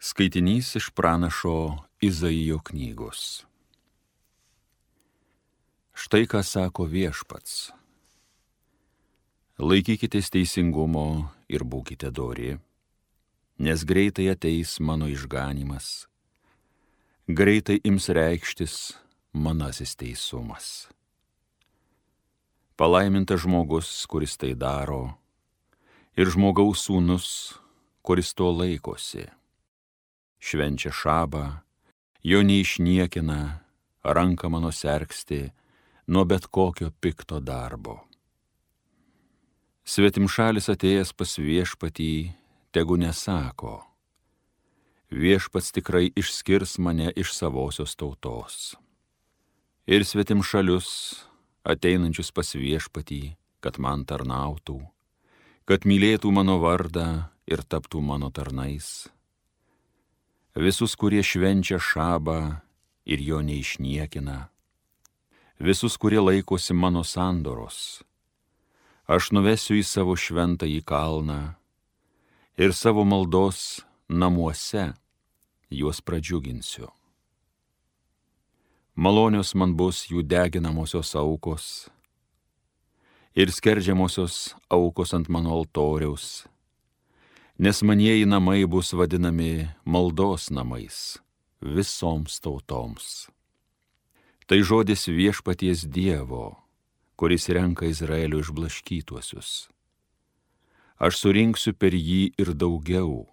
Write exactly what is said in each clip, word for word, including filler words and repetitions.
Skaitinys iš pranašo Izaijo knygos. Štai ką sako Viešpats. Laikykitės teisingumo ir būkite dori, nes greitai ateis mano išganymas, greitai ims reikštis manasis teisumas. Palaimintas žmogus, kuris tai daro, ir žmogaus sūnus, kuris to laikosi. Švenčia šabą, jo neišniekina, ranką mano sergsti nuo bet kokio pikto darbo. Svetimšalis atėjęs pas Viešpatį, tegu nesako, Viešpats tikrai išskirs mane iš savosios tautos. Ir svetimšalius, ateinančius pas Viešpatį, kad man tarnautų, kad mylėtų mano vardą ir taptų mano tarnais. Visus, kurie švenčia šabą ir jo neišniekina, visus, kurie laikosi mano sandoros, aš nuvesiu į savo šventąjį kalną ir savo maldos namuose juos pradžiuginsiu. Malonios man bus jų deginamosios aukos ir skerdžiamosios aukos ant mano altoriaus, nes manieji namai bus vadinami maldos namais visoms tautoms. Tai žodis Viešpaties Dievo, kuris renka Izraelio išblaškytuosius. Aš surinksiu per jį ir daugiau,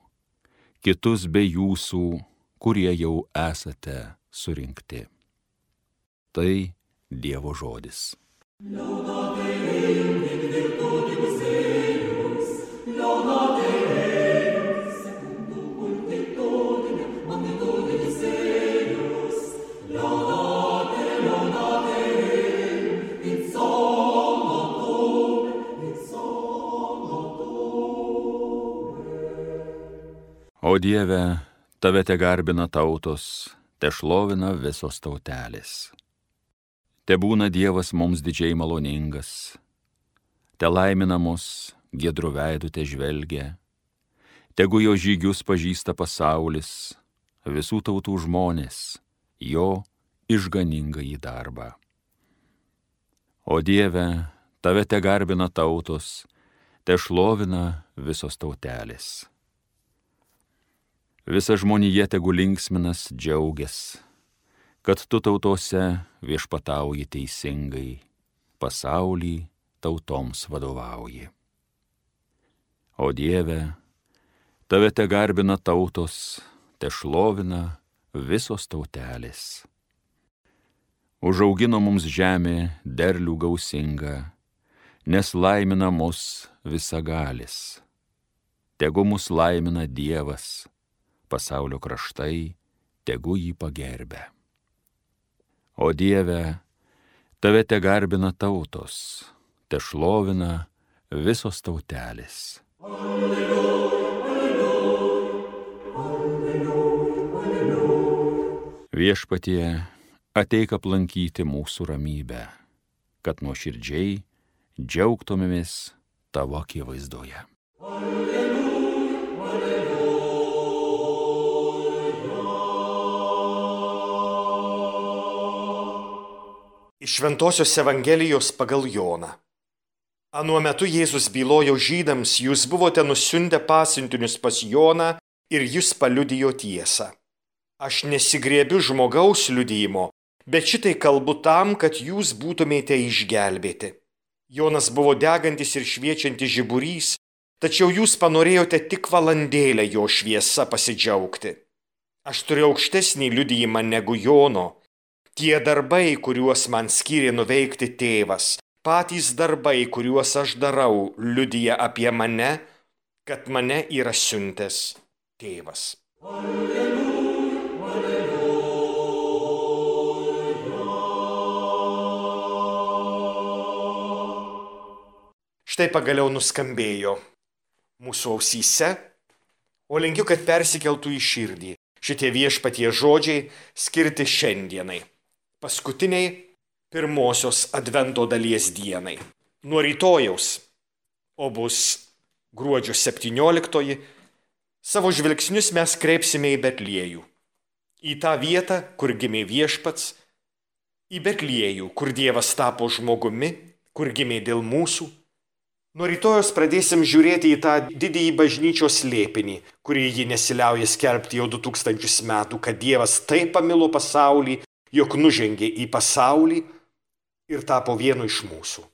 kitus be jūsų, kurie jau esate surinkti. Tai Dievo žodis. O Dieve, tave te garbina tautos, te šlovina visos tautelės. Te būna Dievas mums didžiai maloningas, te laimina mus, giedru veidu te žvelgia, tegu jo žygius pažįsta pasaulis, visų tautų žmonės, jo išganingąjį darbą. O Dieve, tave te garbina tautos, te šlovina visos tautelės. Visa žmonija tegu linksminas džiaugias, kad tu tautose viešpatauji teisingai, pasaulį tautoms vadovauji. O Dieve, tave te garbina tautos, te šlovina visos tautelės. Užaugino mums žemė derlių gausingą, nes laimina mus visagalis. Tegu mus laimina Dievas, pasaulio kraštai, tegu jį pagerbia. O Dieve, tave te garbina tautos, te šlovina visos tautelės. Alleluja, alleluja, alleluja, alleluja. Viešpatie, ateik aplankyti mūsų ramybę, kad nuoširdžiai džiaugtumėmės tavo akivaizdoje. Iš Šventosios Evangelijos pagal Joną. Anuo metu Jėzus bylojo žydams, jūs buvote nusiuntę pasiuntinius pas Joną ir jis paliudijo tiesą. Aš nesigriebiu žmogaus liudijimo, bet šitai kalbu tam, kad jūs būtumėte išgelbėti. Jonas buvo degantis ir šviečiantis žiburys, tačiau jūs panorėjote tik valandėlę jo šviesa pasidžiaugti. Aš turiu aukštesnį liudijimą negu Jono. Tie darbai, kuriuos man skyrė nuveikti tėvas, patys darbai, kuriuos aš darau, liudija apie mane, kad mane yra siuntęs tėvas. Alleluja, alleluja. Štai pagaliau nuskambėjo mūsų ausyse, o linkiu, kad persikeltų į širdį šitie Viešpaties žodžiai skirti šiandienai, paskutiniai pirmosios advento dalies dienai. Nuo rytojaus, o bus gruodžio septynioliktoji, Savo žvilgsnius mes kreipsime į Betliejų, į tą vietą, kur gimė Viešpats, į Betliejų, kur Dievas tapo žmogumi, kur gimė dėl mūsų. Nuo rytojos pradėsim žiūrėti į tą didįjį bažnyčios slėpinį, kurį ji nesiliauja skelbti jau du tūkstančius metų, kad Dievas taip pamilo pasaulį, jog nužengė į pasaulį ir tapo vienu iš mūsų.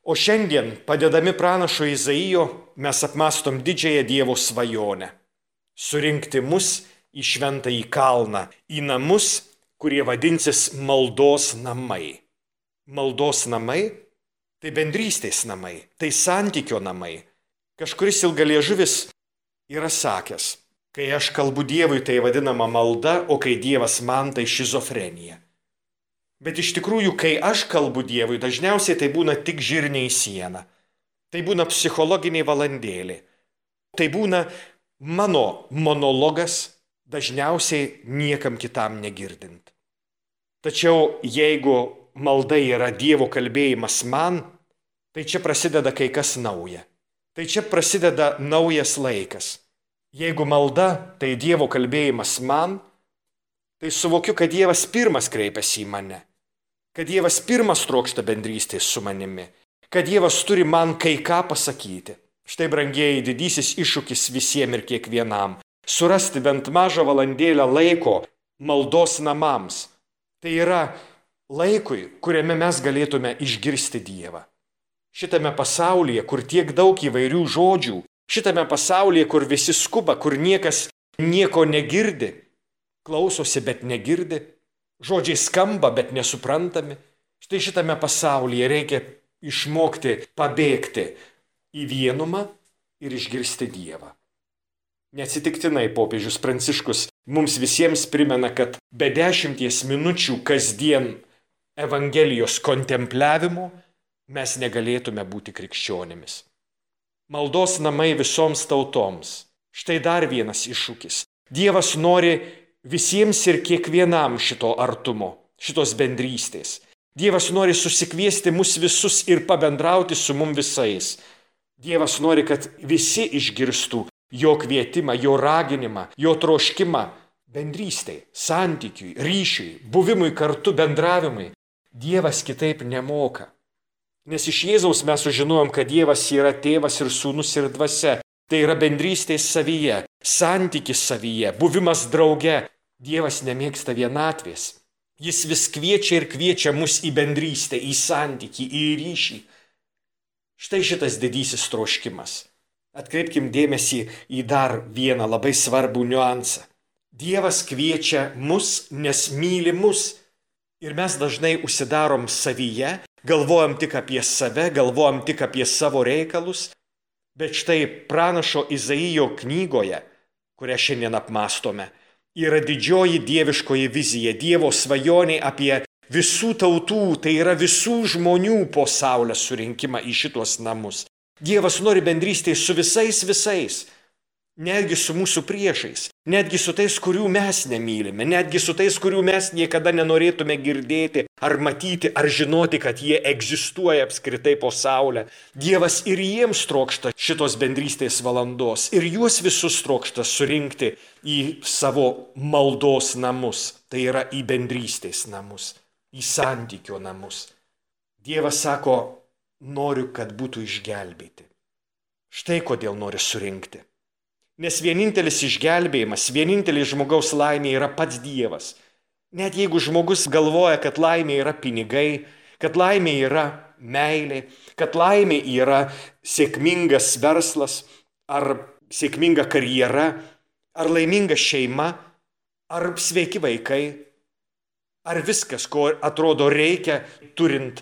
O šiandien, padedami pranašo Izaijo, mes apmastom didžiąją Dievo svajonę – surinkti mus į šventąjį kalną, į namus, kurie vadinsis maldos namai. Maldos namai – tai bendrystės namai, tai santykio namai. Kažkuris ilgaliežuvis yra sakęs, kai aš kalbu Dievui, tai vadinama malda, o kai Dievas man, tai šizofrenija. Bet iš tikrųjų, kai aš kalbu Dievui, dažniausiai tai būna tik žirniai į sieną. Tai būna psichologiniai valandėlė. Tai būna mano monologas, dažniausiai niekam kitam negirdint. Tačiau jeigu malda yra Dievo kalbėjimas man, tai čia prasideda kai kas nauja. Tai čia prasideda naujas laikas. Jeigu malda tai Dievo kalbėjimas man, tai suvokiu, kad Dievas pirmas kreipiasi į mane. Kad Dievas pirmas trokšta bendrystės su manimi. Kad Dievas turi man kai ką pasakyti. Štai, brangieji, didysis iššūkis visiems ir kiekvienam. Surasti bent mažą valandėlę laiko maldos namams. Tai yra laikui, kuriame mes galėtume išgirsti Dievą. Šitame pasaulyje, kur tiek daug įvairių žodžių, šitame pasaulyje, kur visi skuba, kur niekas nieko negirdi, klausosi, bet negirdi, žodžiai skamba, bet nesuprantami. Štai šitame pasaulyje reikia išmokti pabėgti į vienumą ir išgirsti Dievą. Neatsitiktinai popiežius Pranciškus mums visiems primena, kad be dešimties minučių kasdien Evangelijos kontempliavimo mes negalėtume būti krikščionimis. Maldos namai visoms tautoms. Štai dar vienas iššūkis. Dievas nori visiems ir kiekvienam šito artumo, šitos bendrystės. Dievas nori susikviesti mus visus ir pabendrauti su mum visais. Dievas nori, kad visi išgirstų jo kvietimą, jo raginimą, jo troškimą bendrystei, santykiui, ryšiui, buvimui kartu, bendravimui. Dievas kitaip nemoka. Nes iš Jėzaus mes sužinojom, kad Dievas yra tėvas ir sūnus ir dvasia. Tai yra bendrystės savyje, santykis savyje, buvimas drauge. Dievas nemėgsta vienatvės. Jis vis kviečia ir kviečia mus į bendrystę, į santykį, į ryšį. Štai šitas didysis troškimas. Atkreipkim dėmesį į dar vieną labai svarbų niuansą. Dievas kviečia mus, nes myli mus. Ir mes dažnai užsidarom savyje, galvojam tik apie save, galvojam tik apie savo reikalus. Bet štai pranašo Izaijo knygoje, kurią šiandien apmastome, yra didžioji dieviškoji vizija, Dievo svajonė apie visų tautų, tai yra visų žmonių po saulės surinkimą į šitos namus. Dievas nori bendrystės su visais visais. Netgi su mūsų priešais, netgi su tais, kurių mes nemylime, netgi su tais, kurių mes niekada nenorėtume girdėti ar matyti, ar žinoti, kad jie egzistuoja apskritai po saulę. Dievas ir jiems trokšta šitos bendrystės valandos ir juos visus trokšta surinkti į savo maldos namus, tai yra į bendrystės namus, į santykio namus. Dievas sako, noriu, kad būtų išgelbėti. Štai kodėl nori surinkti. Nes vienintelis išgelbėjimas, vienintelis žmogaus laimė yra pats Dievas. Net jeigu žmogus galvoja, kad laimė yra pinigai, kad laimė yra meilė, kad laimė yra sėkmingas verslas, ar sėkminga karjera, ar laiminga šeima, ar sveiki vaikai, ar viskas, ko atrodo reikia turint,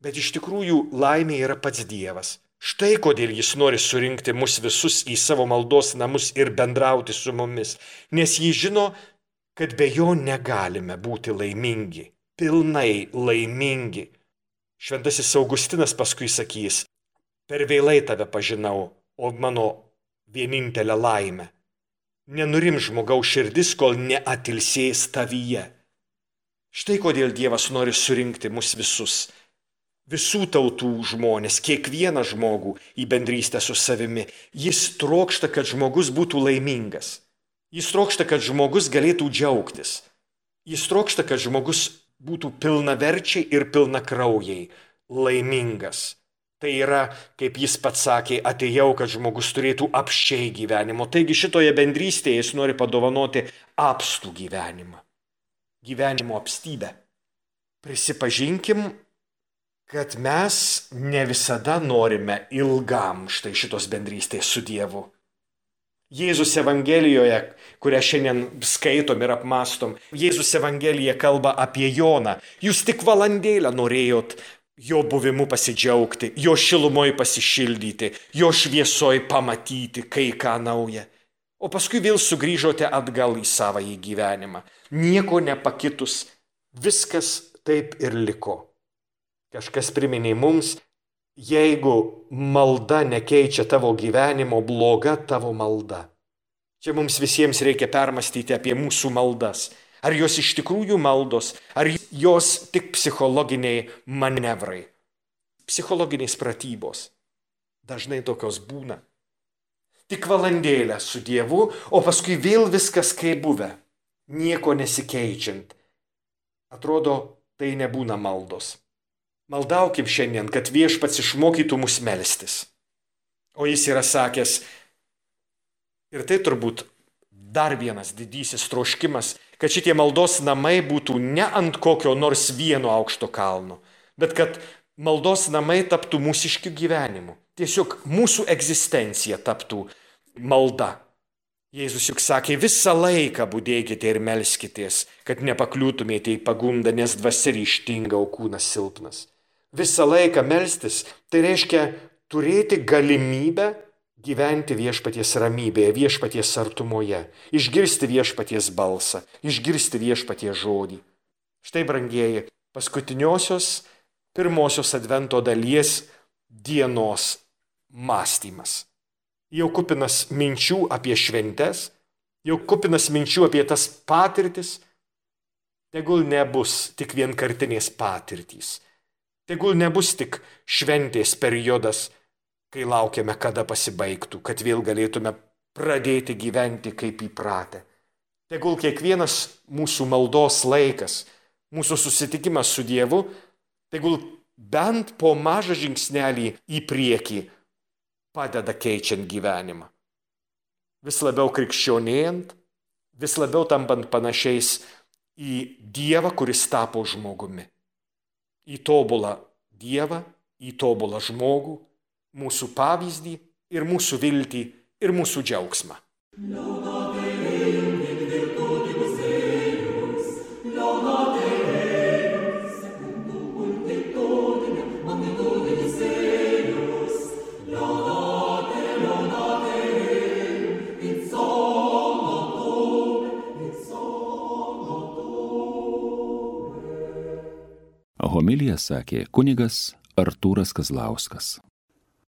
bet iš tikrųjų laimė yra pats Dievas. Štai kodėl jis nori surinkti mus visus į savo maldos namus ir bendrauti su mumis, nes jis žino, kad be jo negalime būti laimingi, pilnai laimingi. Šventasis Augustinas paskui sakys, per vėlai tave pažinau, o mano vienintelė laimė. Nenurim žmogaus širdis, kol neatilsės tavyje. Štai kodėl Dievas nori surinkti mus visus. visų tautų žmonės, kiekvieną žmogų į bendrystę su savimi. Jis trokšta, kad žmogus būtų laimingas. Jis trokšta, kad žmogus galėtų džiaugtis. Jis trokšta, kad žmogus būtų pilnaverčiai ir pilnakraujai laimingas. Tai yra, kaip jis pats sakė, atėjau, kad žmogus turėtų apsčiai gyvenimo. Taigi šitoje bendrystėje jis nori padovanoti apstų gyvenimą. Gyvenimo apstybę. Prisipažinkim, kad mes ne visada norime ilgam štai šitos bendrystės su Dievu. Jėzus Evangelijoje, kurią šiandien skaitom ir apmastom, Jėzus Evangelija kalba apie Joną. Jūs tik valandėlę norėjot jo buvimu pasidžiaugti, jo šilumoj pasišildyti, jo šviesoj pamatyti kai ką naują. O paskui vėl sugrįžote atgal į savąjį gyvenimą. Nieko nepakitus, viskas taip ir liko. Kažkas priminė mums, jeigu malda nekeičia tavo gyvenimo, bloga tavo malda. Čia mums visiems reikia permastyti apie mūsų maldas. Ar jos iš tikrųjų maldos, ar jos tik psichologiniai manevrai, psichologiniais pratybos. Dažnai tokios būna. Tik valandėlę su Dievu, o paskui vėl viskas kaip buvę, nieko nesikeičiant. Atrodo, tai nebūna maldos. Maldaukim šiandien, kad Viešpats išmokytų mus melstis. O jis yra sakęs, ir tai turbūt dar vienas didysis troškimas, kad šitie maldos namai būtų ne ant kokio nors vieno aukšto kalno, bet kad maldos namai taptų mūsiškiu gyvenimu. Tiesiog mūsų egzistencija taptų malda. Jėzus juk sakė, visą laiką budėkite ir melskitės, kad nepakliūtumėte į pagundą, nes dvasia ryžtinga, o kūnas silpnas. Visą laiką melstis, tai reiškia turėti galimybę gyventi viešpaties ramybėje, viešpaties artumoje, išgirsti viešpaties balsą, išgirsti viešpaties žodį. Štai, brangieji, paskutiniosios, pirmosios advento dalies dienos mąstymas. Jau kupinas minčių apie šventes, jau kupinas minčių apie tas patirtis, tegul nebus tik vienkartinės patirtys. Tegul nebus tik šventės periodas, kai laukiame, kada pasibaigtų, kad vėl galėtume pradėti gyventi kaip įpratę. Tegul kiekvienas mūsų maldos laikas, mūsų susitikimas su Dievu, tegul bent po mažą žingsnelį į priekį padeda keičiant gyvenimą. Vis labiau krikščionėjant, vis labiau tampant panašiais į Dievą, kuris tapo žmogumi. Į tobulą Dievą, į tobulą žmogų, mūsų pavyzdį ir mūsų viltį ir mūsų džiaugsmą. Homiliją sakė kunigas Artūras Kazlauskas.